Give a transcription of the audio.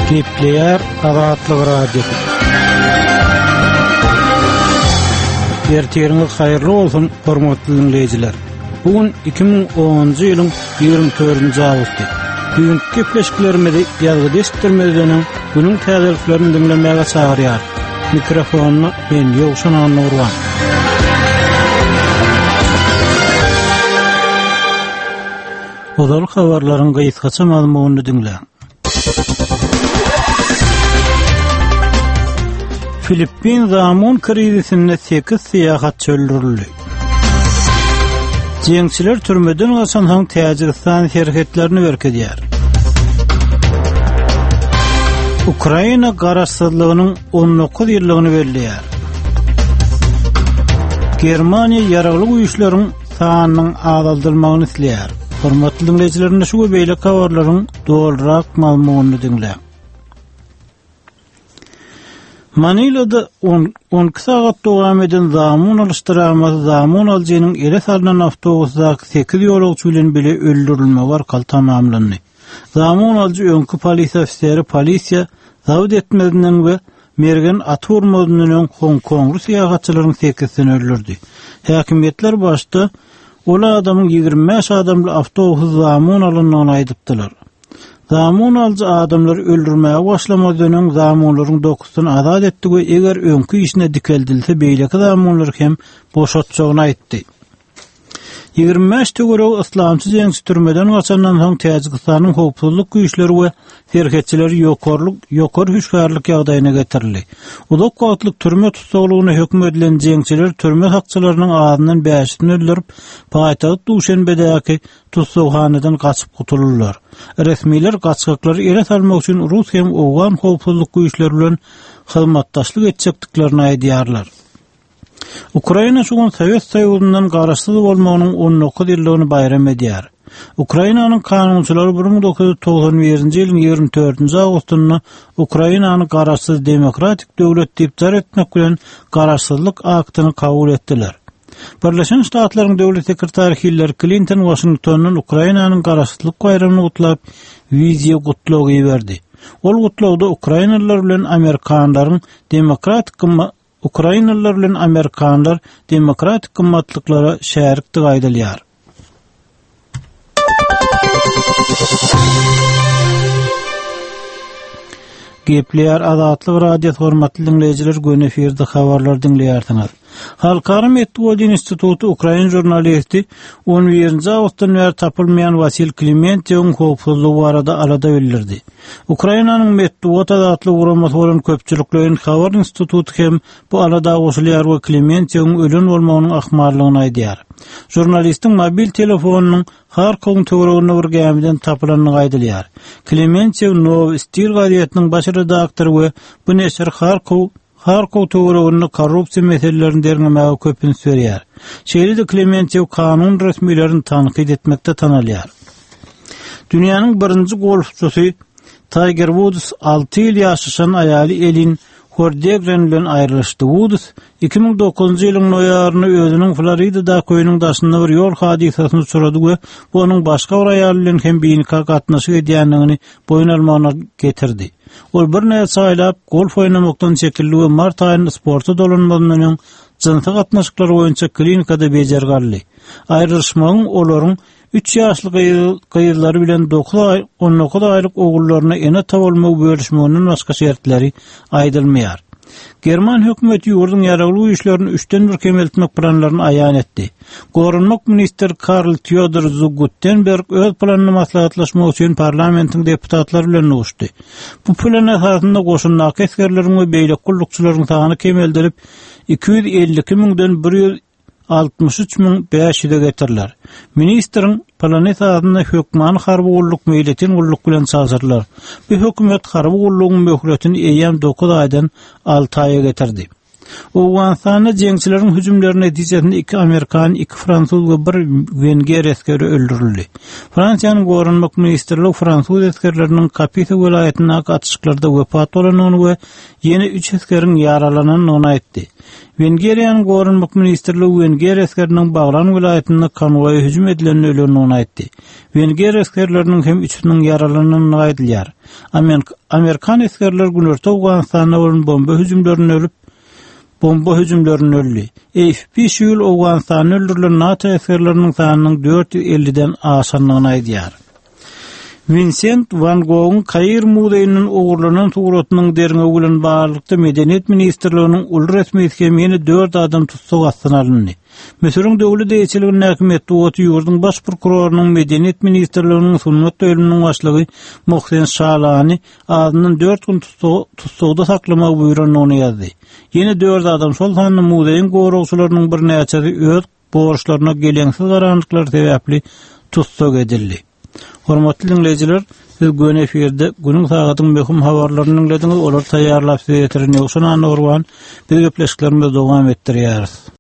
Gepleýär Azatlyk Radiosy. Ertiriňiz haýyrly bolsun, hormatly diňleýjiler. Bu gün 2010-njy ýylyň 24-nji awgusty. Düýnki gepleşiklerimizi ýazgyda eşitdirmezden öň, günüň täzeliklerini diňlemäge çagyrýarys. Mikrofonda men Ýowşan Annagurban. Ozal habarlaryň gysgaça mazmunyny diňläň. Filippin zamun krizisinde 8 syýahatçy öldürildi. Jeňçiler türmeden gaçansoň Täjigistan serhetlerini berkidýär. Ukraina garaşsyzlygynyň 19 ýyllygyny belleýär. Germaniýa ýaragly güýçleriň sanynyň azaldylmagyny isleýär. Hormatly diňleýjiler, indi şu we beýleki habarlaryň dolurak mazmunyny diňläň. Manilada 12 sagat dowam eden zamun alyş dramasy zamun alyjynyň ele salnan awtobusdaky 8 ýolagçy bilen bile öldürilmegi arkaly tamamlandy. Zamun alyjy öňki polisiýa ofiseri polisiýa zabt etmezinden we mergen atyp urmazyndan öň honkongly syýahatçylaryň sekizisini öldürdi. Häkimiýetler başda ol adamyň 25 adamly awtobusy zamun alandygyny aýdypdylar. Zamun alyjy adamlary öldürmäge başlamazdan öň zamunlaryň dokuzysyny azat etdi we eger öňki işine dikeldilse beýleki zamunlary hem boşatjagyny aýtdy. 25 töweregi yslamçy jeňçi türmeden gaçandan soň Täjigistanyň howpsuzlyk güýçleri we serhetçileri ýokarlyk ýokary hüşgärlik ýagdaýyna getirildi. Uzak wagtlyk türme tussaglygyna höküm edilen jeňçiler türme sakçylarynyň azyndan bäşisini öldürip, paýtagt Duşenbedäki tussaghanadan gaçyp gutuldylar. Resmiler gaçgaklary ele salmak üçin rus hem owgan howpsuzlyk güýçleri bilen hyzmatdaşlyk etjekdiklerini aýdýarlar. Ukraina şu gün Sowet Soýuzyndan garaşsyz bolmagynyň 19 ýyllygyny baýram edýär. Ukrainanyň kanunçylary 1991-nji ýylyň 24-nji awgustynda Ukrainany garaşsyz demokratik döwlet diýip jar etmek bilen Garaşsyzlyk aktyny kabul etdiler. Birleşen Ştatlaryň döwlet sekretary Hillari Klinton Waşingtondan Ukrainanyň Garaşsyzlyk baýramyny gutlap, wideo gutlag iberdi. Ol gutlagda ukrainalylar bilen amerikanlaryň demokratik Ukrainalylar bilen amerikanlar demokratik gymmatlyklara şärikdigi aýdylýar. Gepleýär Azatlyk Radiosy hormatly diňleýjiler göni efirde habarlar diňleýärsiňiz. Halkara metbugat instituty ukrain žurnalisti 11-nji awgustdan bäri tapylmaýan Wasil Klimentýewiň howpsuzlygy barada alada bildirdi. Ukrainanyň metbugat azatlygy guramasy bolan Köpçülikleýin habar instituty hem bu alada goşulýar we Klementýewiň ölen bolmagynyň ahmallygyny aýdýar. Žurnalistiň mobil telefonynyň Harkowyň töwereginde bir gämiden tapylandygy aýdylýar. Klementýew Nowy stil gazetiniň baş redaktory we bu neşir Harkow Harkow töwereginde korrupsiýa meselelerini derňemäge köp üns berýär. Şeýle-de Klementýew kanun resmilerini tankyt etmekde tanalýar. Dünýäniň birinji golfçysy Taýger Wuds alty ýyl ýaşaşan aýaly Elin Hordegren bilen aýrylyşdy. Wuds 2009-njy ýylyň noýabrynda özüniň Floridadaky öýüniň daşynda bir ýol hadysasyna uçrady we bu onuň başga bir aýal bilen hem binika gatnaşyk edýändigini boýun almagyna getirdi. Ol birnäçe aýlap golf oýnamakdan çekildi we mart aýynda sporta dolanmazyndan öň jynsy gatnaşyklar boýunça klinikada bejergi aldy. Aýrylyşmagyň olaryň üç ýaşly gyzlary bilen dokuz aý, 19 aýlyk ogullaryna ene-ata bolmagy bölüşmeginden başga şertleri aýdylmaýar. German hökümeti ýurduň ýaragly güýçlerini üçden bir kemeltmek planlaryny aýan etdi. Goranmak ministri Karl Teodor zu Guttenberg öz planyny maslahatlaşmak üçin parlamentiň deputatlary bilen duşdy. Bu plan esasynda goşundaky esgerleriň we beýleki gullukçylaryň sany kemeldilip, 252 müňden 163 500-e getiriler. Ministriň plany esasynda hökmany harby gulluk meýletin gulluk bilen çalşyrylar. Bu hökümet harby gullugyň möhletini eýýäm dokuz aýdan alty aýa getirdi. Owganystanda jeňçileriň hüjümleri netijesinde iki amerikan, iki fransuz we bir wenger esgeri öldürildi. Fransiýanyň Goranmak ministrligi fransuz esgerleriniň Kapisa welaýatyndaky atyşyklarda wepat bolandygyny we ýene üç esgeriň ýaralanandygyny aýtdy. Wengeriýanyň Goranmak ministrligi wenger esgeriniň Baglan welaýatynda konwoýa hüjüm edilende ölendigini aýtdy. Wenger esgerleriniň hem üçüsiniň ýaralanandygy aýdylýar. Amerikan esgerleri Günorta Owganystanda bolan bomba hüjümlerinde ölüp, bomba hüjümlerinde öldi. AFP şu ýyl Owganystanda öldürilen NATO esgerleriniň sanynyň 450-den aşandygyny aýdýar. Winsent Wan Gogyň Kair muzeýinden ogurlanan suratynyň derňewi bilen baglylykda Medeniýet ministrliginiň uly resmisi hem ýene dört adam tussag astyna alyndy. Müsüriň döwlet eýeçiligindäki metbugaty ýurduň baş prokurorynyň Medeniýet ministrliginiň sungat bölüminiň başlygy Mohsen Şalany azyndan dört gün tussagda saklamagy buýrandygyny ýazdy. Ýene dört adam, şol sanda muzeýiň goragçylarynyň birnäçesi öz borçlaryna geleňsiz garandyklary sebäpli tussag edildi. Hormatly diňleýjiler, siz göni efirde günüň sagadyň möhüm habarlaryny diňlediňiz, olary taýýarlap size ýetiren Ýowşan Annagurban. Biz gepleşiklerimizi dowam etdirýäris.